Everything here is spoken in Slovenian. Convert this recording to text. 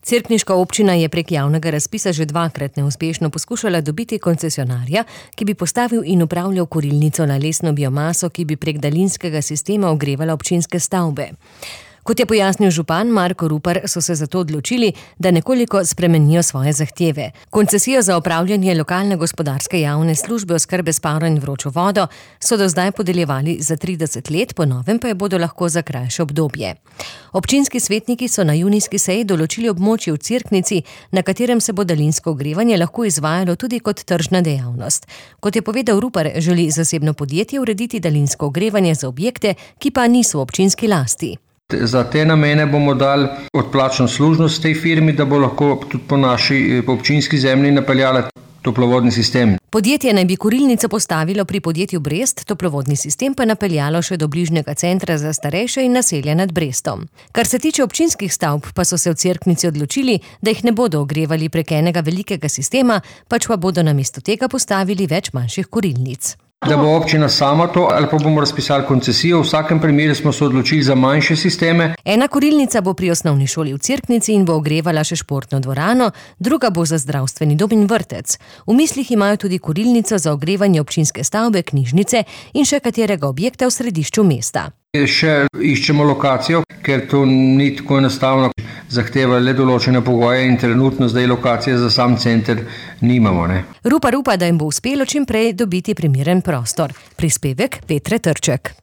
Cerkniška občina je prek javnega razpisa že dvakrat neuspešno poskušala dobiti koncesionarja, ki bi postavil in upravljal kurilnico na lesno biomaso, ki bi prek daljinskega sistema ogrevala občinske stavbe. Kot je pojasnil župan Marko Rupar, so se zato odločili, da nekoliko spremenijo svoje zahteve. Koncesijo za opravljanje lokalne gospodarske javne službe oskrbe s parno in vročo vodo so do zdaj podeljevali za 30 let, po novem pa je bodo lahko za krajše obdobje. Občinski svetniki so na junijski seji določili območje v Cerknici, na katerem se bo daljinsko ogrevanje lahko izvajalo tudi kot tržna dejavnost. Kot je povedal Rupar, želi zasebno podjetje urediti daljinsko ogrevanje za objekte, ki pa niso v občinski lasti. Za te namene bomo dali odplačno služnost tej firmi, da bo lahko tudi po naši občinski zemlji napeljala toplovodni sistem. Podjetje naj bi kurilnico postavilo pri podjetju Brest, toplovodni sistem pa napeljalo še do bližnjega centra za starejše in naselja nad Brestom. Kar se tiče občinskih stavb, pa so se v Cerknici odločili, da jih ne bodo ogrevali prek enega velikega sistema, pač pa bodo namesto tega postavili več manjših kurilnic. Da bo občina sama to ali pa bomo razpisali koncesijo, v vsakem primeru smo se odločili za manjše sisteme. Ena kurilnica bo pri osnovni šoli v Cerknici in bo ogrevala še športno dvorano, druga bo za zdravstveni dom in vrtec. V mislih imajo tudi kurilnico za ogrevanje občinske stavbe, knjižnice in še katerega objekta v središču mesta. Še iščemo lokacijo, ker to ni tako enostavno, zahteva le določene pogoje in trenutno zdaj lokacije za sam center nimamo. Rupar upa, da jim bo uspelo čim prej dobiti primeren prostor. Prispevek Petre Trček.